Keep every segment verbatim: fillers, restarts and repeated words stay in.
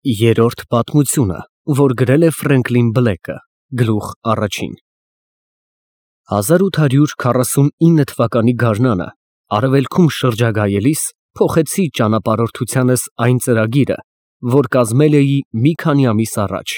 Երրորդ պատմությունը, որ գրել է Ֆրենկլին Բլեքը, գլուխ առաջին հազար ութ հարյուր քառասունինը թվականի գարնանը արևելքում շրջագայելիս փոխեցի ճանապարհորդությանս այն ծրագիրը, որ կազմել էի մի քանի ամիս առաջ,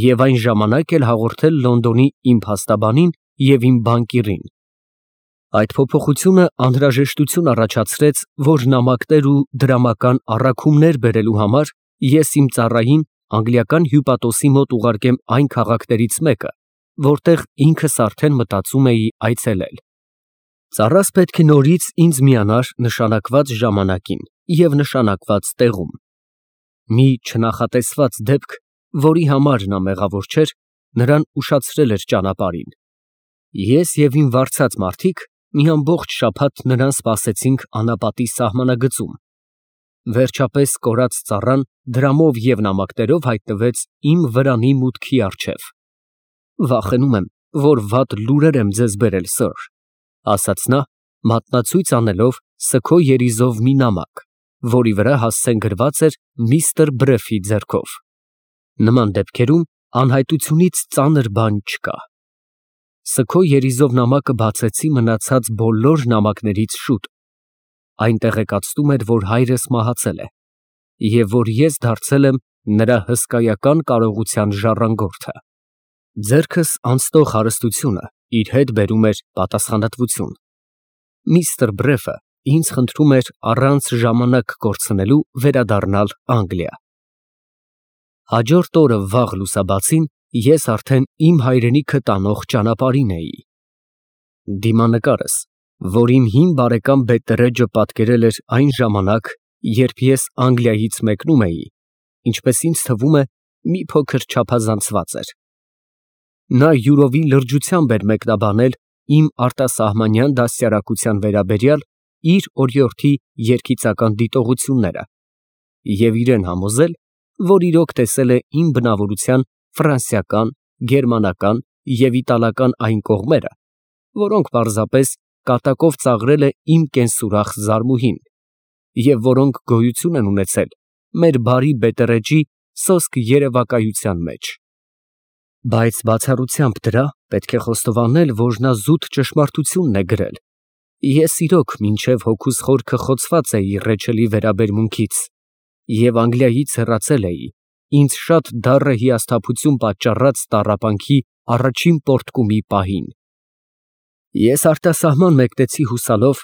և այն ժամանակ էլ հաղորդել Լոնդոնի իմ փաստաբանին և իմ բանկիրին։ Այդ փոփոխությունը անհրաժեշտություն առաջացրեց, որ նամակներ ու դրամական առաքումներ բերելու համար ես իմ ծառային անգլիական հյուպատոսի մոտ ուղարկեմ այն քաղաքներից մեկը, որտեղ ինքս արդեն մտածում էի այցելել։ Ծառաս պետք է նորից ինձ միանար նշանակված ժամանակին և նշանակված տեղում։ Մի չնախատեսված դեպք, որի համար նա մեղավոր չէր, նրան ուշացրել էր ճանապարհին։ Ես և իմ վարձած մարդիկ մի ամբողջ շաբաթ նրան սպասեցինք անապատի սահմանագծում։ Վերջապես կորած ծառան դրամով և նամակներով հայտնվեց իմ վրանի մուտքի առջև։ Վախենում եմ, որ վատ լուրեր եմ ձեզ բերել, սըր, ֊ ասաց նա, մատնացույց անելով սգո երիզով մի նամակ, որի վրա հասցեն գրված էր միստր Բրեֆի ձեռքով։ Նման դեպքերում անհայտությունից ծանր բան չկա։ Սգո երիզով նամակը բացեցի մնացած բոլոր նամակներից շուտ։ Այն տեղեկացնում էր, որ հայրս մահացել է, և որ ես դարձել եմ նրա հսկայական կարողության ժառանգորդը։ Ձեռքս անցնող հարստությունը իր հետ բերում էր պատասխանատվություն։ Միստր Բրեֆը ինձ խնդրում էր առանց ժամանակ կորցնելու վերադառնալ Անգլիա։ Հաջորդ օրը վաղ լուսաբացին ես արդեն իմ հայրենիքը տանող ճանապարհին էի։ Դիմանկարս, որ իմ հին բարեկամ Բետտերեջը պատկերել էր այն ժամանակ, երբ ես Անգլիայից մեկնում էի, ինչպես ինձ թվում է, մի փոքր չափազանցված էր։ Նա յուրովի լրջությամբ էր մեկնաբանել իմ արտասահմանյան դաստիարակության վերաբերյալ իր օրիորդի երգիծական դիտողությունները և իրեն համոզել, որ իրոք տեսել է իմ բնավորության ֆրանսիական, գերմանական և իտալական այն կողմերը, որոնք պարզապես կատակով ծաղրել է իմ կենսուրախ զարմուհին, և որոնք գոյություն են ունեցել մեր բարի Բետտերեջի սոսկ երևակայության մեջ։ Բայց բացառությամբ դրա, պետք է խոստովանել, որ նա զուտ ճշմարտությունն է գրել։ Ես իրոք մինչև հոգուս խորքը խոցված էի Ռեչելի վերաբերմունքից և Անգլիայից հեռացել էի ինձ շատ դառը հիասթափություն պատճառած տառապանքի առաջին պոռթկումի պահին։ Ես արտասահման մեկնեցի հուսալով,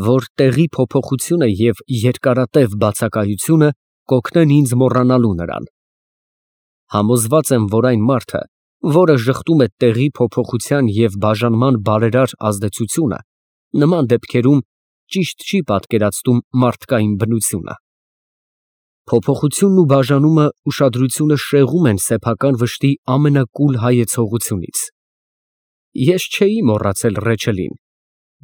որ տեղի փոփոխությունը և երկարատև բացակայությունը կօգնեն ինձ մոռանալու նրան։ Համոզված եմ, որ այն մարդը, որը ժխտում է տեղի փոփոխության և բաժանման բարերար ազդեցությունը, նման դեպքերում ճիշտ չի պատկերացնում մարդկային բնությունը։ Փոփոխությունն ու բաժանումը ուշադրությունը շեղում են սեփական վշտի ամենակուլ հայեցողությունից։ Ես չէի մոռացել Ռեչելին,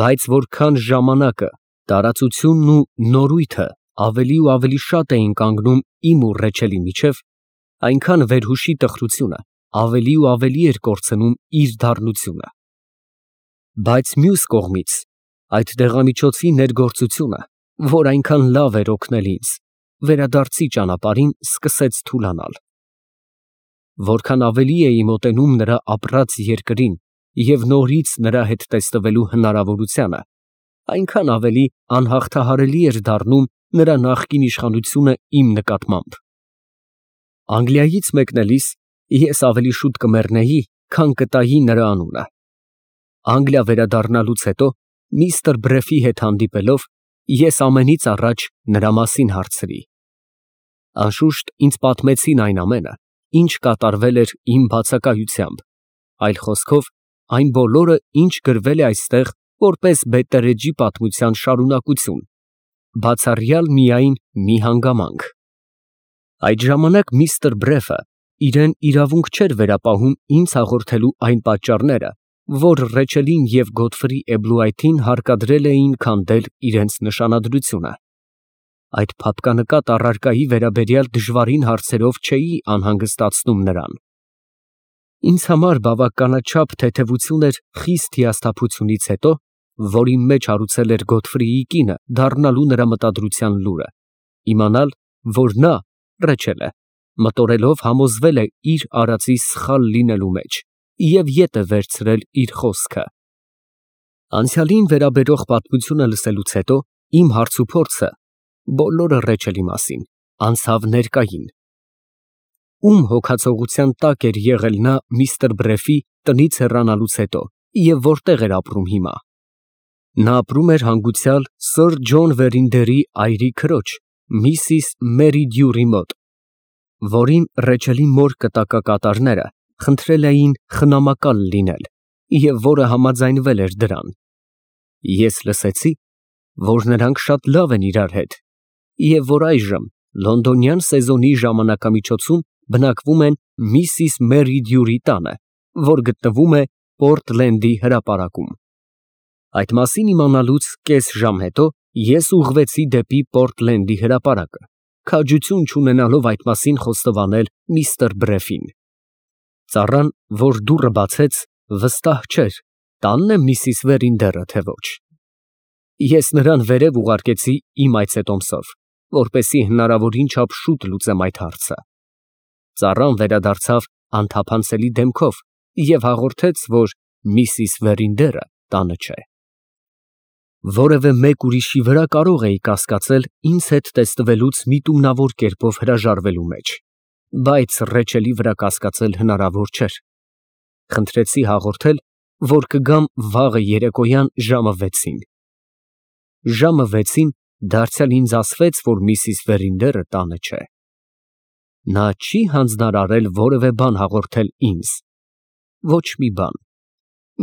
բայց որքան ժամանակը, տարածությունն ու նորույթը ավելի ու ավելի շատ էին կանգնում իմ ու Ռեչելի միջև, այնքան վերհուշի տխրությունը ավելի ու ավելի էր կորցնում իր դառնությունը։ Բայց մյուս կողմից, այդ դեղամիջոցի ներգործությունը, որ այնքան լավ էր օգնել ինձ, վերադարձի ճանապարհին սկսեց թուլանալ։ Որքան ավելի էի մոտենում նրա ապրած երկրին և նորից նրա հետ տեսնվելու հնարավորությանը, այնքան ավելի անհաղթահարելի էր դառնում նրա նախկին իշխանությունը իմ նկատմամբ։ Անգլիայից մեկնելիս ես ավելի շուտ կմեռնեի, քան կտայի նրա անունը։ Անգլիա վերադառնալուց հետո, միստր Բրեֆի հետ հանդիպելով, ես ամենից առաջ նրա մասին հարցրի։ Անշուշտ ինձ պատմեցին այն ամենը, ինչ կատարվել էր իմ բացակայությամբ, այլ խոսքով, այն բոլորը, ինչ գրվել է այստեղ որպես Բետտերեջի պատմության շարունակություն, բացառյալ միայն մի հանգամանք։ Այդ ժամանակ միստր Բրեֆը իրեն իրավունք չէր վերապահում ինձ հաղորդելու այն պատճառները, որ Ռեչելին և Գոդֆրի Էբլուայթին հարկադրել էին քանդել իրենց նշանադրությունը։ Այդ փափկանկատ առարկայի վերաբերյալ դժվարին հարցերով չէի անհանգստացնում նրան։ Ինձ համար բավականաչափ թեթևություն էր խիստ հիասթափությունից հետո, որ իմ մեջ հարուցել էր Գոդֆրիի կինը դառնալու նրա մտադրության լուրը, իմանալ, որ նա, Ռեչելը, մտորելով համոզվել է իր արածի սխալ լինելու մեջ և ետ է վերցրել իր խոսքը։ Անցյալին վերաբերող պատմությունը լսելուց հետո իմ հարցուփորձը, բոլորը Ռեչելի մասին, անցավ ներկային։ Ում հոգացողության տակ էր եղել նա միստր Բրեֆի տնից հեռանալուց հետո և որտեղ էր ապրում հիմա։ Նա ապրում էր հանգուցյալ սըր Ջոն Վերինդերի այրի քրոջ, միսիս Մերի Դյուրի մոտ, որին Ռեչելի մոր կտակակատարները խնդրել էին խնամակալ լինել և որը համաձայնվել էր դրան։ Ես լսեցի, որ նրանք շատ լավ են իրար հետ և որ այժմ լոնդոնյան սեզոնի ժամանակամիջոցում բնակվում են միսիս Մերի Դյուրի տանը, որ գտնվում է Պորտլենդի հրապարակում։ Այդ մասին իմանալուց կես ժամ հետո ես ուղղվեցի դեպի Պորտլենդի հրապարակը, քաջություն չունենալով այդ մասին խոստովանել միստր Բրեֆին։ Ծառան, որ դուռը բացեց, վստահ չէր, տանն է միսիս Վերինդերը, թե ոչ։ Ես նրան վերև ուղարկեցի իմ այցետոմսով, որպեսզի հնարավորին չափ շուտ լուծեմ այդ հարցը։ Ծառան վերադարձավ անթափանցելի դեմքով և հաղորդեց, որ միսիս Վերինդերը տանը չէ։ Որևէ մեկ ուրիշի վրա կարող էի կասկածել ինձ հետ տեսնվելուց միտումնավոր կերպով հրաժարվելու մեջ, բայց Ռեչելի վրա կասկածել հնարավոր չէր։ Խնդրեցի հաղորդել, որ կգամ վաղը երեկոյան ժամը վեցին։ Ժամը վեցին դարձյալ ինձ ասվեց, որ միսիս Վերինդերը տանը չէ։ Նա չի հանձնարարել որևէ բան հաղորդել ինձ։ Ոչ մի բան։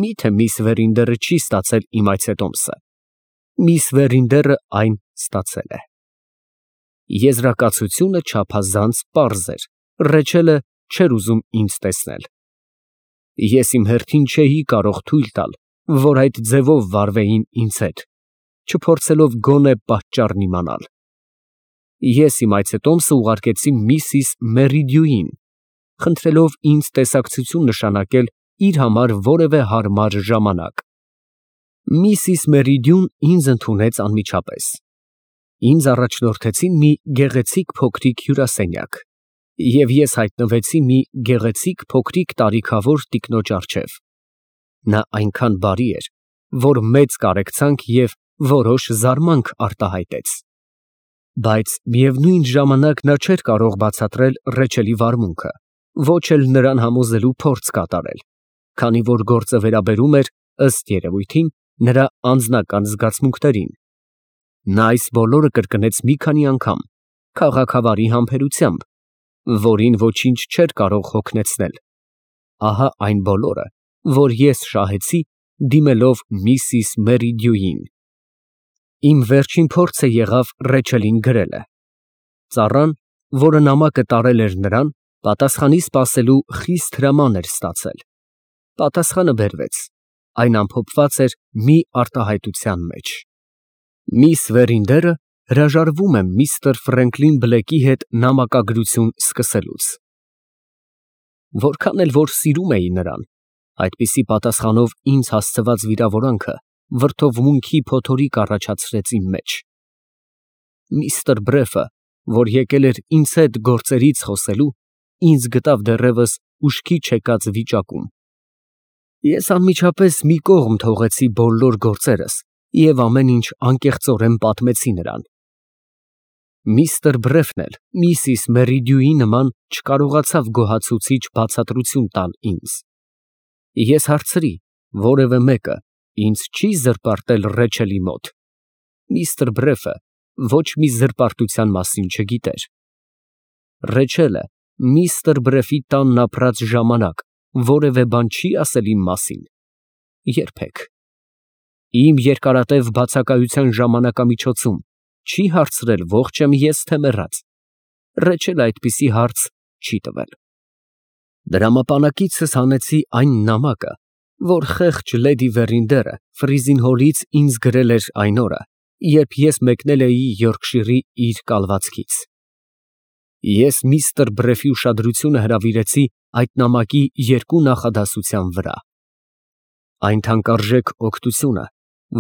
Միթե միս Վերինդերը չի ստացել իմ այցետոմսը։ Միս Վերինդերը այն ստացել է։ Եզրակացությունը չափազանց պարզ էր, Ռեչելը չէր ուզում ինձ տեսնել։ Ես իմ հերթին չէի կարող թույլ տալ, որ այդ ձևով վարվեին ինձ հետ, չփորձելով գոնե պատճառն իմանալ։ Ես իմ այցետոմսը ուղարկեցի միսիս Մերի Դյուին, խնդրելով ինձ տեսակցություն նշանակել իր համար որևէ հարմար ժամանակ։ Միսիս Մերի Դյուն ինձ ընդունեց անմիջապես։ Ինձ առաջնորդեցին մի գեղեցիկ փոքրիկ հյուրասենյակ, և ես հայտնվեցի մի գեղեցիկ փոքրիկ տարիքավոր տիկնոջ առջև։ Նա այնքան բարի էր, որ մեծ կարեկցանք և որոշ զարմանք արտահայտեց։ Բայց միևնույն ժամանակ նա չէր կարող բացատրել Ռեչելի վարմունքը, ոչ էլ նրան համոզելու փորձ կատարել, քանի որ գործը վերաբերում էր, ըստ երևույթին, նրա անձնական զգացմունքներին։ Նա այս բոլորը կրկնեց մի քանի անգամ, քաղաքավարի համբերությամբ, որին ոչինչ չէր կարող հոգնեցնել։ Ահա այն բոլորը, որ ես շահեցի, դիմելով միսիս Մերի Դյուին։ Իմ վերջին փորձը եղավ Ռեչելին գրելը։ Ծառան, որը նամակը տարել էր նրան, պատասխանի սպասելու խիստ հրաման էր ստացել։ Պատասխանը բերվեց, այն ամփոփված էր մի արտահայտության մեջ։ Միս Վերինդերը հրաժարվում է միստր Ֆրենկլին Բլեքի հետ նամակագրություն սկսելուց։ Որքան էլ որ սիրում էի նրան, այդպիսի պատասխանով ինձ հասցված վիրավորանքը վրդովմունքի փոթորիկ առաջացրեց իմ մեջ։ Միստր Բրեֆը, որ եկել էր ինձ հետ գործերից խոսելու, ինձ գտավ դեռևս ուշքի չեկած վիճակում։ Ես անմիջապես մի կողմ թողեցի բոլոր գործերս և ամեն ինչ անկեղծորեն պատմեցի նրան։ Միստր Բրեֆն էլ միսիս Մերի Դյուի նման չկարողացավ գոհացուցիչ բացատրություն տալ ինձ։ Ես հարցրի, որևէ մեկը ինձ չի զրպարտել Ռեչելի մոտ։ Միստր Բրեֆը ոչ մի զրպարտության մասին չգիտեր։ Ռեչելը միստր Բրեֆի տանն ապրած ժամանակ որևէ բան չի ասել իմ մասին։ Երբեք։ Իմ երկարատև բացակայության ժամանակամիջոցում չի հարցրել ողջ եմ ես, թե մեռած։ Ռեչելը այդպիսի հարց չի տվել։ Դրամապանակիցս հանեցի այն նամակը, որ խեղճ լեդի Վերինդերը Ֆրիզինհոլից ինձ գրել էր այն օրը, երբ ես մեկնել էի Յորքշիրի իր կալվածքից։ Ես միստր Բրեֆի ուշադրությունը հրավիրեցի այդ նամակի երկու նախադասության վրա։ Այն թանկարժեք օգնությունը,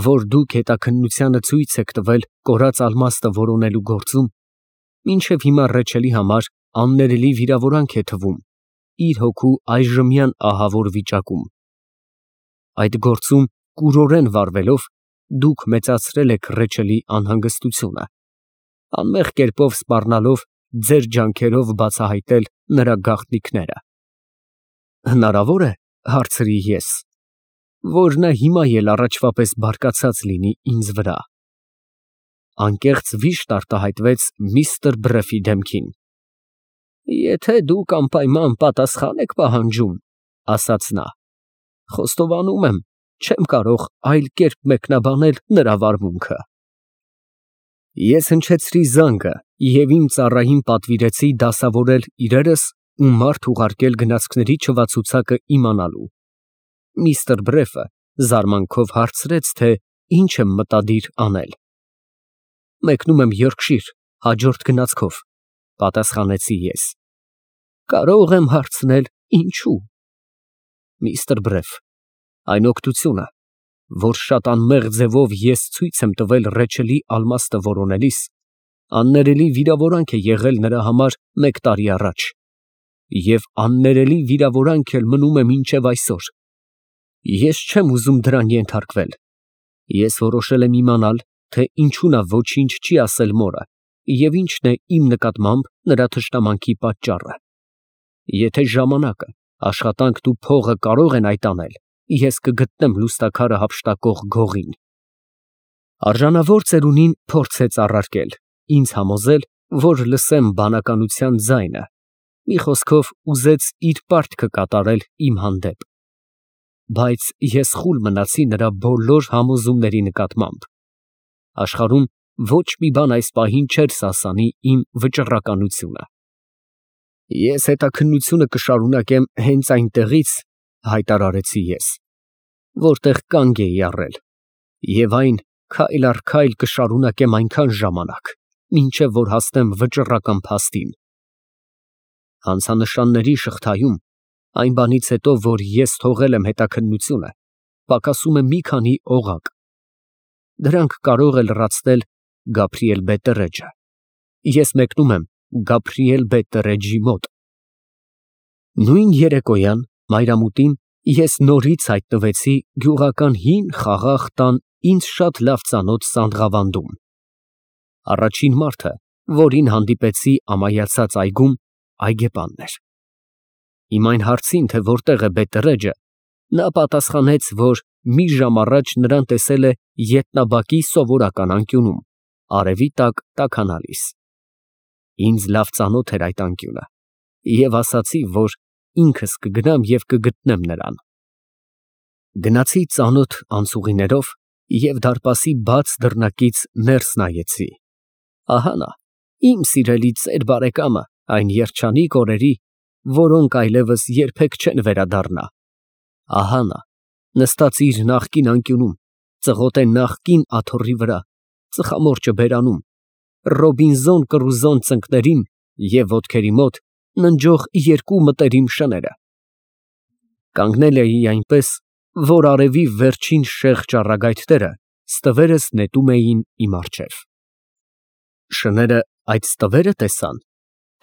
որ դուք հետաքննությանը ցույց եք տվել կորած ալմաստը որոնելու գործում, մինչև հիմա Ռեչելի համար աններելի վիրավորանք է թվում իր հոգու այժմյան ահավոր վիճակում։ Այդ գործում կուրորեն վարվելով դուք մեծացրել եք Ռեչելի անհանգստությունը, անմեղ կերպով սպառնալով ձեր ջանքերով բացահայտել նրա գաղտնիքները։ Հնարավոր է, հարցրի ես, որ նա հիմա էլ առաջվա պես բարկացած լինի ինձ վրա։ Անկեղծ վիշտ արտահայտվեց միստր Բրեֆի դեմքին։ Եթե դուք անպայման պատասխան եք պահանջում, ասաց նա, խոստովանում եմ, չեմ կարող այլ կերպ մեկնաբանել նրա վարմունքը։ Ես հնչեցրի զանգը և իմ ծառային պատվիրեցի դասավորել իրերս ու մարդ ուղարկել գնացքների չվացուցակը իմանալու։ Միստր Բրեֆը զարմանքով հարցրեց, թե ինչ եմ մտադիր անել։ Մեկնում եմ Յորքշիր հաջորդ գնացքով, պատասխանեցի ես։ Կարող եմ հարցնել ինչու։ Միստր Բրեֆ, այն օգնությունը, որ շատ անմեղ ձևով ես ցույց եմ տվել Ռեչելի ալմաստը որոնելիս, աններելի վիրավորանք է եղել նրա համար մեկ տարի առաջ, և աններելի վիրավորանք էլ մնում է մինչև այսօր։ Ես չեմ ուզում դրան ենթարկվել։ Ես որոշել եմ իմանալ, թե ինչու նա ոչինչ չի ասել մորը և ինչն է իմ նկատմամբ նրա թշնամանքի պատճառը։ Եթե ժամանակը, աշխատանքն ու փողը կարող են այդ անել, ես կգտնեմ լուստաքարը հափշտակող գողին։ Արժանավոր ծերունին փորձեց առարկել, ինձ համոզել, որ լսեմ բանականության ձայնը, մի խոսքով ուզեց իր պարտքը կատարել իմ հանդեպ։ Բայց ես խուլ մնացի նրա բոլոր համոզումների նկատմամբ։ Աշխարհում ոչ մի բան այս պահին չէր սասանի իմ վճռականությունը։ Ես հետաքննությունը կշարունակեմ հենց այնտեղից, հայտարարեցի ես, որտեղ կանգ էի առել, և այն քայլ առ քայլ կշարունակեմ այնքան ժամանակ, մինչև որ հասնեմ վճռական փաստին։ Հանցանշանների շղթայում, այն բանից հետո, որ ես թողել եմ հետաքննությունը, պակասում է մի քանի օղակ։ Դրանք կարող է լրացնել Գաբրիել Բետտերեջը։ Ես մեկնում եմ Գաբրիել Բետտերեջի մոտ։ Նույն երեկոյան մայրամուտին ես նորից հայտնվեցի գյուղական հին խաղաղ տան ինձ շատ լավ ծանոթ Սանդղավանդում։ Առաջին մարդը, որին հանդիպեցի ամայացած այգում, այգեպանն էր։ Իմ այն հարցին, թե որտեղ է Բետտերեջը, նա պատասխանեց, որ մի ժամ առաջ նրան տեսել է ետնաբակի սովորական անկյունում, արևի տակ տաքանալիս։ Ինձ լավ ծանոթ էր այդ անկյունը, և ասացի, որ ինքս կգնամ և կգտնեմ նրան։ Գնացի ծանոթ անցուղիներով և դարպասի բաց դռնակից ներս նայեցի։ Ահա նա, իմ սիրելի ծեր բարեկամը այն երջանիկ օրերի, որոնք այլևս երբեք չեն վերադառնա։ Ահա նա, նստած իր նախկին անկյունում, ծղոտե նախկին աթոռի վրա, ծխամորճը բերանում, Ռոբինզոն Կռուզոն ծնկներին և ոտքերի մոտ ննջող երկու մտերիմ շները։ Կանգնել էի այնպես, որ արևի վերջին շեղ ճառագայթները ստվերս նետում էին իմ առջև։ Շները այդ ստվե՞րը տեսան,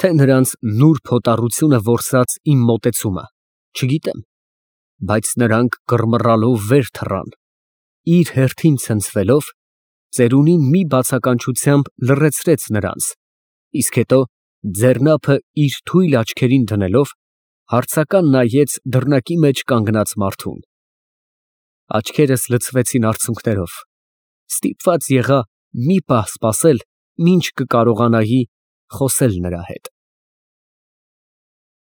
թե նրանց նուրբ հոտառությունը որսաց իմ մոտեցումը, չգիտեմ, բայց նրանք կռմռալով վեր թռան, իր հերթին ցնցվելով, ծերունին մի բացականչությամբ լռեցրեց նրանց, իսկ հետո ձեռնափը իր թույլ աչքերին դնելով, հարցական նայեց դռնակի մեջ կանգնած մարդուն։ Աչքերս լցվեցին արցունքներով, ստիպված եղա մի պահ սպասել, մինչ կկարողանայի խոսել նրա հետ։